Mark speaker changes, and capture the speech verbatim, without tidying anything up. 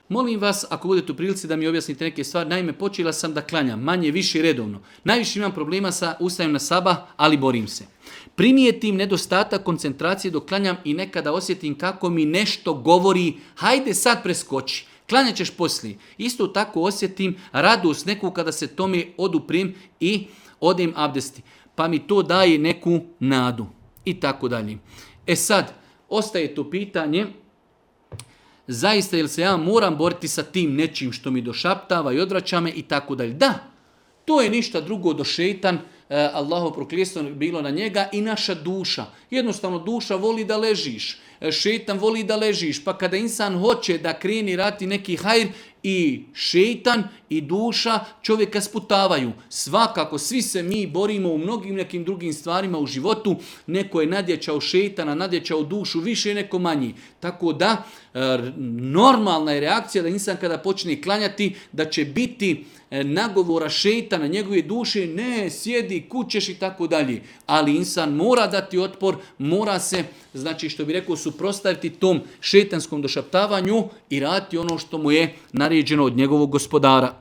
Speaker 1: Molim vas, ako budete u prilici da mi objasnite neke stvari, naime, počela sam da klanjam, manje, više redovno. Najviše imam problema sa ustajem na sabah, ali borim se. Primijetim nedostatak koncentracije dok klanjam i nekada osjetim kako mi nešto govori, hajde sad preskoči, klanjat ćeš poslije. Isto tako osjetim radost neku kada se tome oduprem i odem abdesti, pa mi to daje neku nadu i tako dalje. E sad, ostaje to pitanje, zaista jel se ja moram boriti sa tim nečim što mi došaptava i odvraća me i tako dalje. Da, to je ništa drugo do šeitan, Allaho prokljestvo bilo na njega i naša duša. Jednostavno duša voli da ležiš, šeitan voli da ležiš, pa kada insan hoće da kreni rati neki hajr, i šeitan i duša čovjeka sputavaju. Svakako, svi se mi borimo u mnogim nekim drugim stvarima u životu. Neko je nadjačao šeitana, nadjačao dušu, više neko manji. Tako da, normalna je reakcija da insan kada počne klanjati, da će biti nagovora šeitana, njegove duše, ne, sjedi, kućeš i tako dalje. Ali insan mora dati otpor, mora se, znači što bi rekao, suprotstaviti tom šeitanskom došaptavanju i raditi ono što mu je naređeno od njegovog gospodara.